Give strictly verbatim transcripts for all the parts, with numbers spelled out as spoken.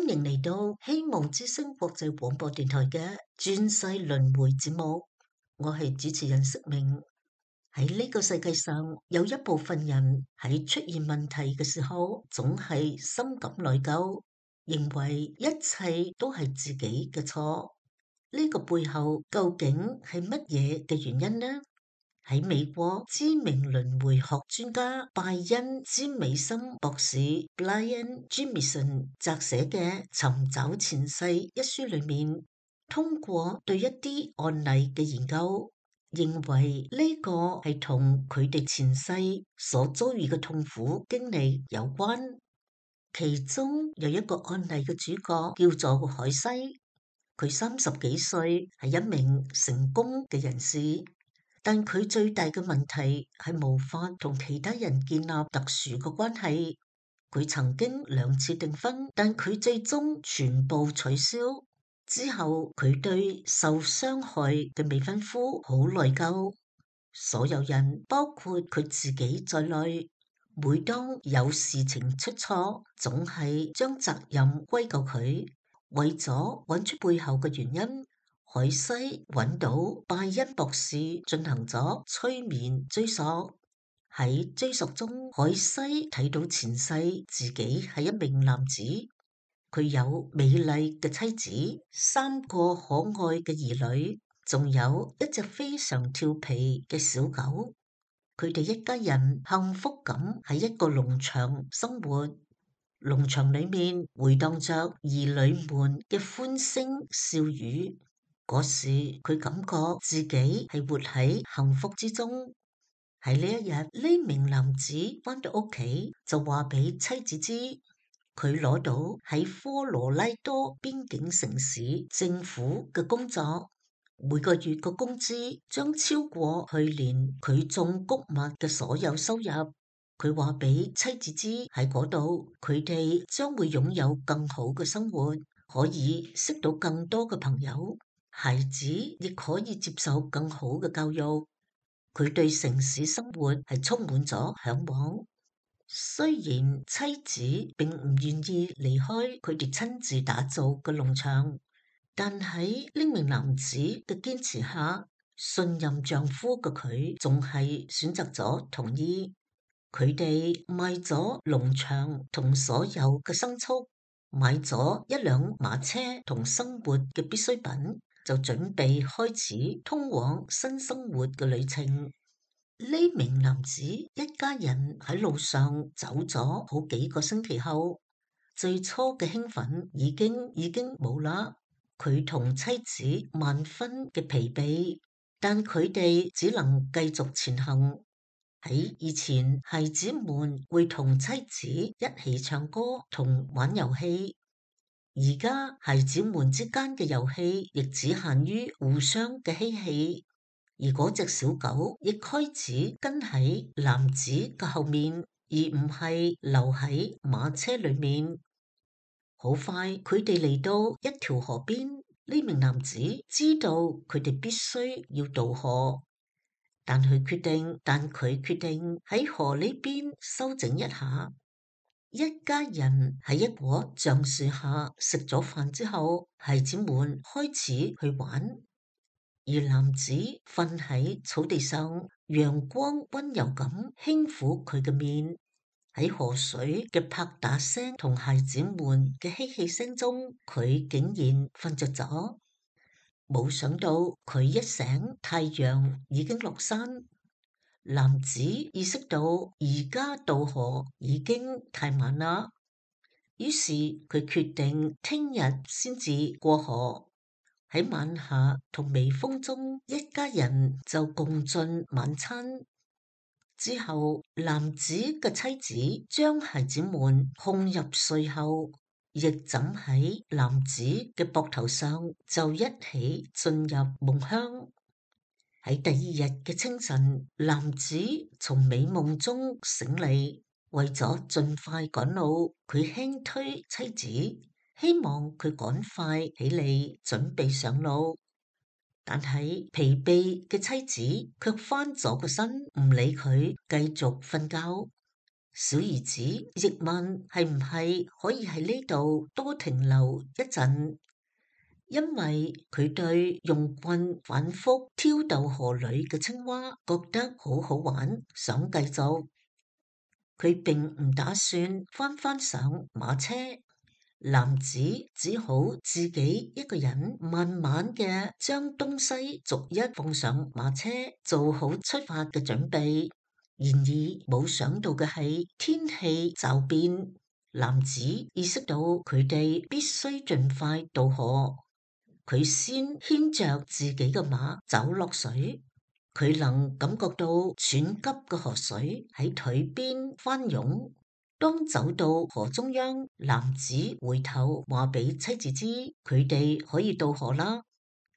歡迎嚟到希望之聲國際廣播電台嘅轉世輪迴節目，我係主持人釋明。喺呢個世界上，有一部分人喺出現問題嘅時候，總係深感內疚，認為一切都係自己嘅錯。呢個背後究竟係乜嘢嘅原因呢？喺美國知名輪迴學專家拜恩詹美森博士 Brian Jamieson 撰寫嘅《尋找前世》一書裏面，通過對一啲案例嘅研究，認為呢個係同佢哋前世所遭遇嘅痛苦經歷有關。其中有一個案例嘅主角叫做海西，佢三十幾歲，係一名成功嘅人士。但佢最大嘅問題係無法同其他人建立特殊嘅關係。佢曾經兩次訂婚，但佢最終全部取消。之後佢對受傷害嘅未婚夫好內疚。所有人，包括佢自己在內，每當有事情出錯，總係將責任歸咎佢。為咗揾出背後嘅原因，海西揾到拜恩博士進行咗催眠追溯。喺追溯中，海西睇到前世自己係一名男子，佢有美麗嘅妻子，三個可愛嘅兒女，仲有一隻非常調皮嘅小狗。佢哋一家人幸福咁喺一個農場生活，農場裏面回蕩着兒女們嘅歡聲笑語。嗰時佢感覺自己係活喺幸福之中。喺呢一日，呢名男子返到屋企就話俾妻子知，佢攞到喺科羅拉多邊境城市政府嘅工作，每個月嘅工資將超過去年佢種穀物嘅所有收入。佢話俾妻子知，喺嗰度佢哋將會擁有更好嘅生活，可以識到更多嘅朋友。孩子亦可以接受更好嘅教育。佢對城市生活係充滿咗向往。雖然妻子並唔願意離開佢哋親自打造嘅農場，但喺呢名男子嘅堅持下，信任丈夫嘅佢仲係選擇咗同意。佢哋賣咗農場同所有嘅牲畜，買咗一輛馬車同生活嘅必需品，就準備開始通往新生活嘅旅程。呢名男子一家人喺路上走咗好幾個星期後，最初嘅興奮已經已經冇啦。佢同妻子萬分嘅疲憊，但佢哋只能繼續前行。喺以前，孩子們會同妻子一起唱歌同玩遊戲。而家孩子們之間嘅遊戲亦只限於互相嘅嬉戲，而嗰隻小狗亦開始跟喺男子嘅後面，而唔係留喺馬車裏面。好快，佢哋嚟到一條河邊，呢名男子知道佢哋必須要渡河，但佢決定，但佢決定喺河呢邊休整一下。一家人喺一棵橡樹下食咗飯之後，孩子們開始去玩，而男子瞓喺草地上，陽光溫柔咁輕撫佢嘅面。喺河水嘅拍打聲同孩子們嘅嬉戲聲中，佢竟然瞓着咗。冇想到佢一醒，太陽已經落山。男子意識到而家渡河已經太晚啦，於是佢決定聽日先至過河。喺晚霞同微風中，一家人就共進晚餐。之後，男子嘅妻子將孩子們哄入睡後，亦枕喺男子嘅膊頭上，就一起進入夢鄉。喺第二日嘅清晨，男子從美夢中醒嚟，為咗盡快趕路，佢輕推妻子，希望佢趕快起嚟準備上路。但係疲憊嘅妻子卻翻咗個身，唔理佢，繼續瞓覺。小兒子亦問係唔係可以喺呢度多停留一陣，因為佢對用棍反覆挑逗河裏嘅青蛙覺得好好玩，想繼續。佢並唔打算翻返上馬車。男子只好自己一個人慢慢嘅將東西逐一放上馬車，做好出發嘅準備。然而冇想到嘅係天氣驟變，男子意識到佢哋必須盡快渡河。佢先牽着自己嘅馬走落水，佢能感覺到湍急嘅河水喺腿邊翻湧。當走到河中央，男子回頭話俾妻子知，佢哋可以渡河啦。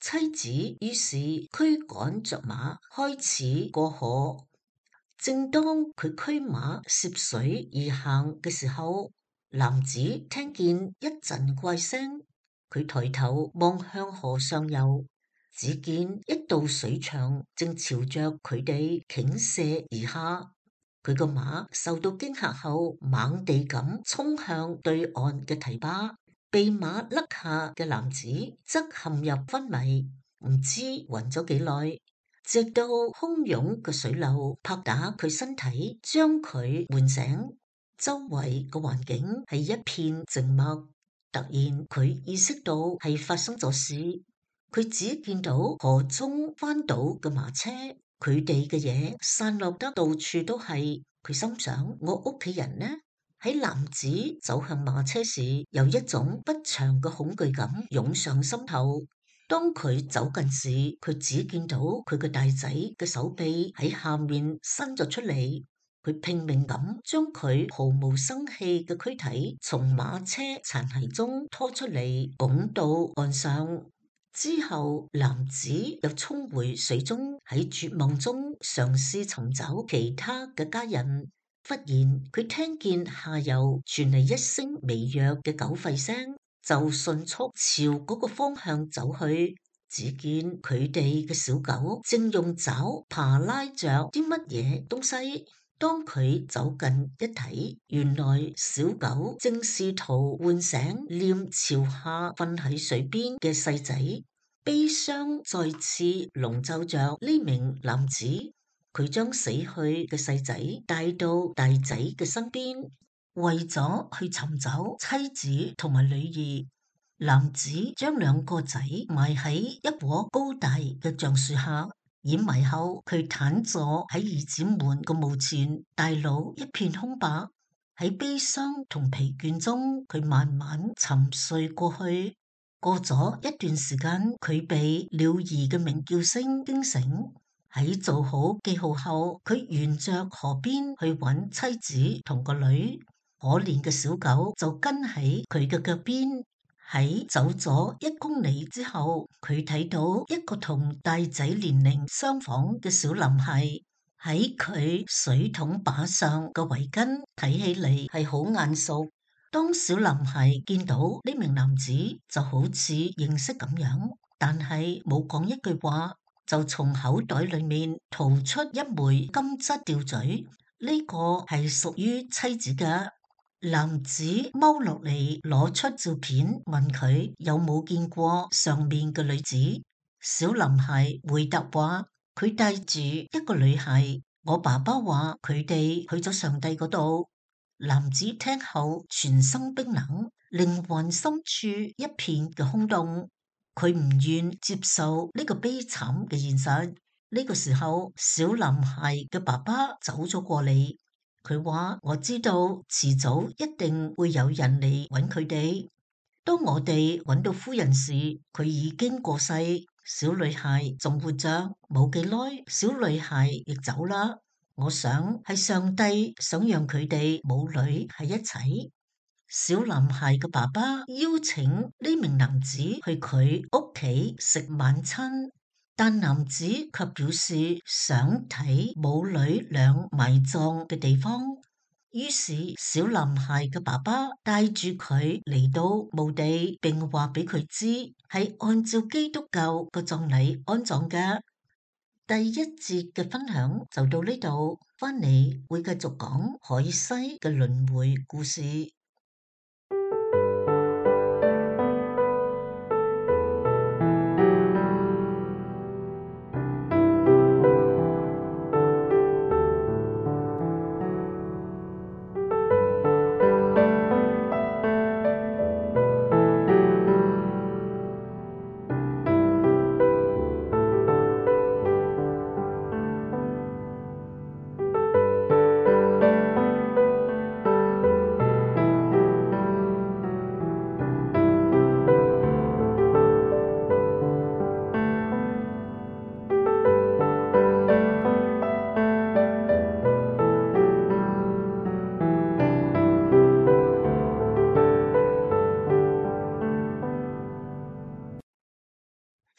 妻子於是驅趕着馬開始過河。正當佢驅馬涉水而行嘅時候，男子聽見一陣怪聲，佢抬頭望向河上游，只見一道水牆正朝着佢哋傾瀉而下。佢個馬受到驚嚇後，猛地咁衝向對岸嘅堤壩，被馬甩下嘅男子則陷入昏迷，唔知暈咗幾耐，直到洶湧嘅水流拍打佢身體，將佢喚醒。周圍嘅環境係一片靜默，突然佢意識到係發生咗事，佢只見到河中翻倒嘅馬車。佢哋嘅嘢散落得到處都係，佢心想：我屋企人呢？喺男子走向馬車時，有一種不祥嘅恐懼感湧上心頭。當佢走近時，佢只見到佢個大仔嘅手臂喺下面伸咗出嚟。佢拼命咁將佢毫無生氣嘅軀體從馬車殘骸中拖出嚟，拱到岸上。之後，男子又衝回水中，喺絕望中嘗試尋找其他嘅家人。忽然，佢聽見下游傳嚟一聲微弱嘅狗吠聲，就迅速朝嗰個方向走去。只見佢哋嘅小狗正用爪爬拉着啲乜嘢東西。當佢走近一睇，原來小狗正試圖喚醒臉朝下瞓喺水邊嘅細仔。悲傷再次籠罩着呢名男子，佢將死去嘅細仔帶到大仔嘅身邊，為咗去尋找妻子同埋女兒。男子將兩個仔埋喺一棵高大嘅橡樹下。掩埋後，佢癱坐喺兒子們個墓前，大腦一片空白。喺悲傷同疲倦中，佢慢慢沉睡過去。過咗一段時間，佢被鳥兒嘅鳴叫聲驚醒。喺做好記號後，佢沿着河邊去揾妻子同個女。可憐嘅小狗就跟喺佢嘅腳邊。喺走咗一公里之後，佢睇到一個同大仔年齡相仿嘅小男孩，喺佢水桶把上嘅圍巾睇起嚟係好眼熟。當小男孩見到呢名男子，就好似認識咁樣，但係冇講一句話，就從口袋裏面掏出一枚金質吊墜，呢個係屬於妻子嘅。男子踎落嚟攞出照片，問佢有冇見過上面嘅女子。小男孩回答話佢帶住一個女孩，我爸爸話佢哋去咗上帝嗰度。男子聽後全身冰冷，靈魂深處一片嘅空洞，佢唔願接受呢個悲慘嘅現實。呢個時候，小男孩嘅爸爸走咗過嚟。佢話我知道遲早一定會有人嚟揾佢哋。當我哋揾到夫人時，佢已經過世，小女孩仲活着。冇幾耐，小女孩亦走啦。我想係上帝想讓佢哋母女喺一齊。小男孩嘅爸爸邀請呢名男子去佢屋企食晚餐。但男子卻表示想睇母女倆埋葬嘅地方，於是小男孩嘅爸爸帶住佢嚟到墓地，並話俾佢知係按照基督教嘅葬禮安葬嘅。第一節嘅分享就到呢度，返嚟會繼續講海西嘅輪迴故事。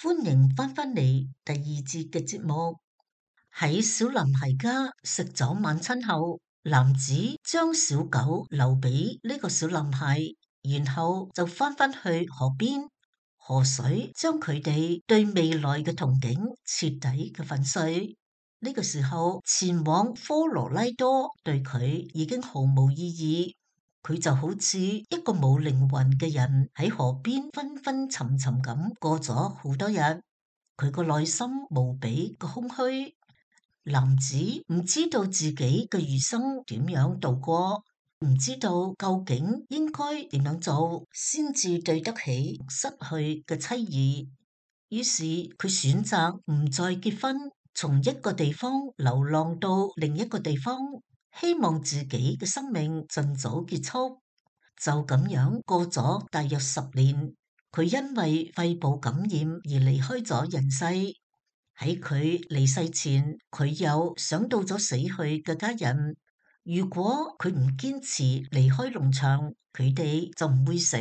歡迎返返嚟第二節嘅節目。喺小男孩家食咗晚餐後，男子將小狗留俾呢個小男孩，然後就返返去河邊。河水將佢哋對未來嘅憧憬徹底嘅粉碎。呢個時候前往科羅拉多對佢已經毫無意義。佢就好似一個冇靈魂嘅人喺河邊昏昏沉沉咁過咗好多日。佢個內心無比嘅空虛。男子唔知道自己嘅餘生點樣度過，唔知道究竟應該點樣做先至對得起失去嘅妻兒。於是佢選擇唔再結婚，從一個地方流浪到另一個地方，希望自己嘅生命盡早結束。就咁樣過咗大約十年，佢因為肺部感染而離開咗人世。喺佢離世前，佢又想到咗死去嘅家人，如果佢唔堅持離開農場，佢哋就唔會死。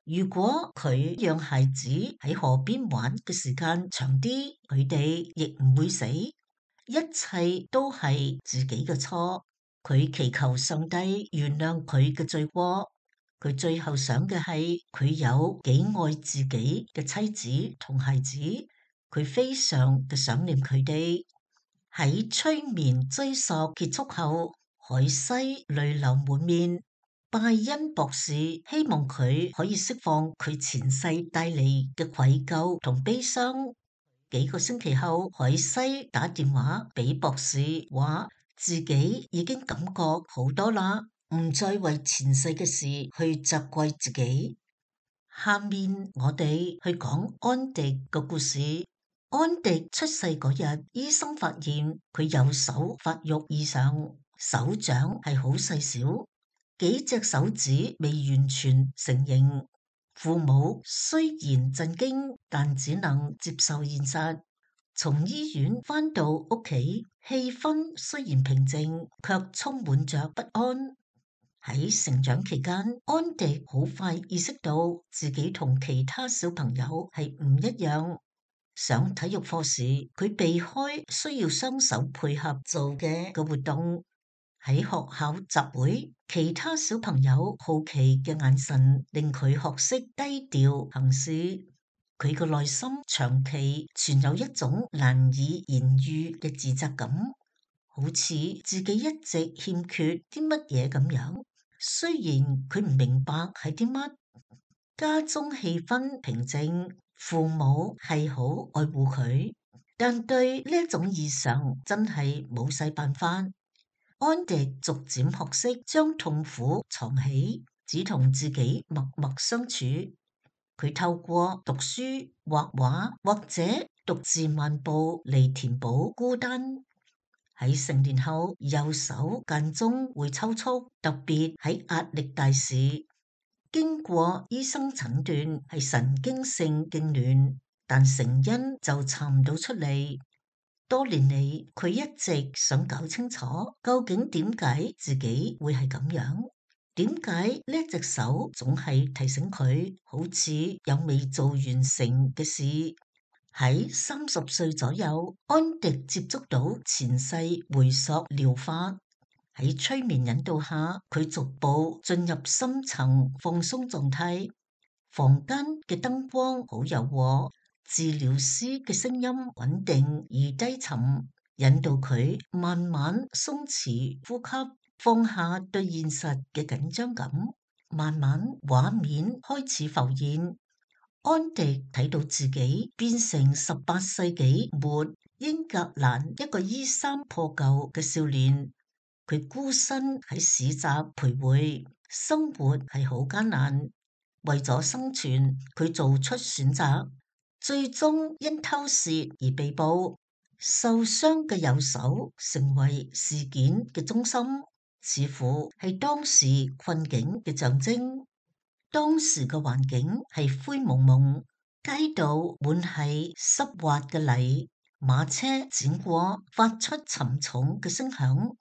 如果佢讓孩子喺河邊玩嘅時間長啲，佢哋亦唔會死。一切都係自己嘅錯。佢祈求上帝原諒佢嘅罪過。佢最後想嘅係佢有幾愛自己嘅妻子同孩子，佢非常嘅想念佢哋。喺催眠追溯結束後，海西淚流滿面。拜恩博士希望佢可以釋放佢前世帶嚟嘅愧疚同悲傷。幾個星期後，海西打電話俾博士，話自己已經感覺好多啦，唔再為前世嘅事去責怪自己。下面我哋去講安迪嘅故事。安迪出世嗰日，醫生發現佢右手發育異常，手掌係好細小，幾隻手指未完全成形。父母雖然震驚，但只能接受現實。從醫院返到屋企，氣氛雖然平靜，卻充滿着不安。喺成長期間，安迪好快意識到自己同其他小朋友係唔一樣。上體育課時，佢避開需要雙手配合做嘅個活動。喺學校集會，其他小朋友好奇嘅眼神令佢學識低調行事。佢個內心長期存有一種難以言喻嘅自責感，好似自己一直欠缺啲乜嘢咁樣。雖然佢唔明白係啲乜，家中氣氛平靜，父母係好愛護佢，但對呢一種異常真係冇晒辦法。安迪逐漸學識將痛苦藏起，只同自己默默相處。佢透過讀書、畫畫或者獨自漫步嚟填補孤單。喺成年後，右手間中會抽搐，特別喺壓力大時。經過醫生診斷係神經性痙攣，但成因就查唔到出嚟。多年嚟，佢一直想搞清楚究竟點解自己會係咁樣，點解呢隻手總係提醒佢好似有未做完成嘅事。喺三十歲左右，安迪接觸到前世回溯療法。喺催眠引導下，佢逐步進入深層放鬆狀態。房間嘅燈光好柔和，治療師嘅聲音穩定而低沉，引導佢慢慢鬆弛呼吸，放下對現實嘅緊張感。慢慢畫面開始浮現，安迪睇到自己變成十八世紀末英格蘭一個衣衫破舊嘅少年。佢孤身喺市集徘徊，生活係好艱難。為咗生存，佢做出選擇，最終因偷竊而被捕。受傷嘅右手成為事件嘅中心，似乎係當時困境嘅象徵。當時嘅環境係灰蒙蒙，街道滿係濕滑嘅泥，馬車輾過發出沉重嘅聲響。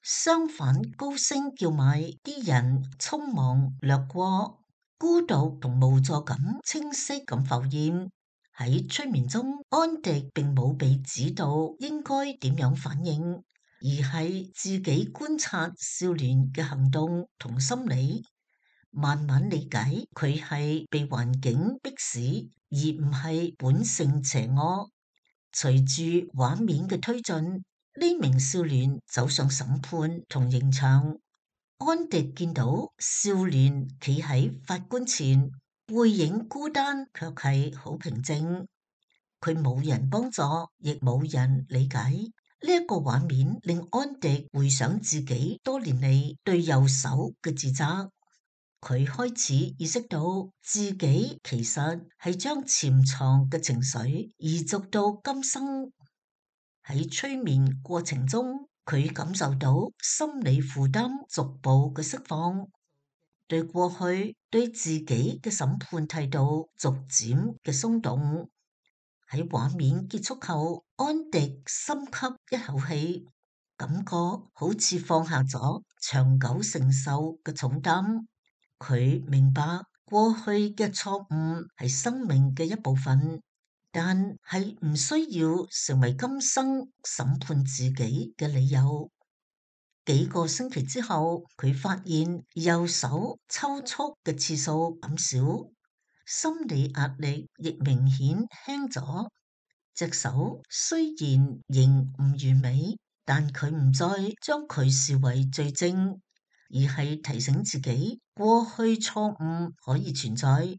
相反，高聲叫賣，啲人匆忙掠過，孤獨同無助感清晰咁浮現。喺催眠中，安迪並冇被指導應該點樣反應，而係自己觀察少年嘅行動同心理，慢慢理解佢係被環境迫使，而唔係本性邪惡。隨住畫面嘅推進，呢名少年走上審判同刑場。安迪見到少年企喺法官前，背影孤單，卻係好平靜。佢冇人幫助，亦冇人理解。呢一個畫面令安迪回想自己多年嚟對右手嘅自責。佢開始意識到自己其實係將潛藏嘅情緒移植到今生。喺催眠過程中，佢感受到心理負擔逐步嘅釋放，對過去對自己嘅審判態度逐漸嘅鬆動。喺畫面結束後，安迪深吸一口氣，感覺好似放下咗長久承受嘅重擔。佢明白過去嘅錯誤係生命嘅一部分，但係唔需要成為今生審判自己嘅理由。幾個星期之後，佢發現右手抽搐嘅次數減少，心理壓力亦明顯輕咗。隻手雖然仍唔完美，但佢唔再將佢視為罪證，而係提醒自己過去錯誤可以存在，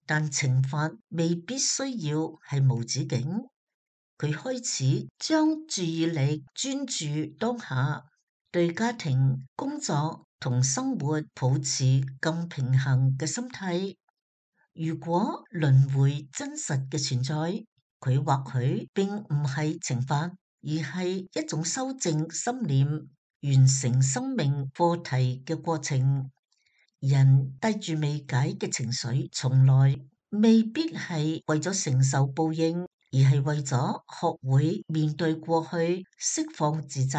但懲罰未必需要係無止境。佢開始將注意力專注當下，對家庭、工作同生活保持更平衡嘅心態。如果輪迴真實嘅存在，佢或許並唔係懲罰，而係一種修正心念、完成生命課題嘅過程。人帶住未解嘅情緒，從來未必係為咗承受報應，而係為咗學會面對過去，釋放自責，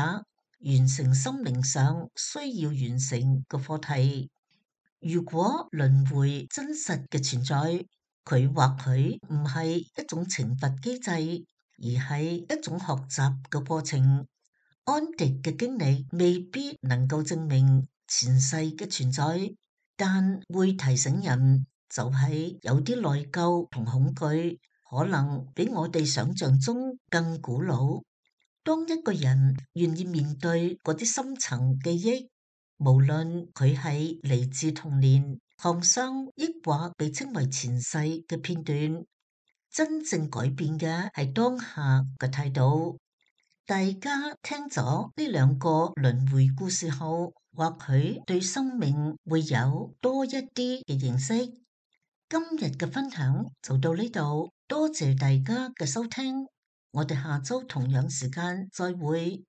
完成心靈上需要完成嘅課題。如果輪迴真實嘅存在，佢或許唔係一種懲罰機制，而係一種學習嘅過程。安迪嘅經歷未必能夠證明前世嘅存在，但會提醒人，就係有啲內疚同恐懼，可能比我哋想象中更古老。當一個人願意面對嗰啲深層記憶，無論佢係嚟自童年、創傷，抑或被稱為前世嘅片段，真正改變嘅係當下嘅態度。大家聽咗呢兩個輪迴故事後，或許對生命會有多一啲嘅認識。今日嘅分享就到呢度，多謝大家嘅收聽，我哋下周同樣時間再會。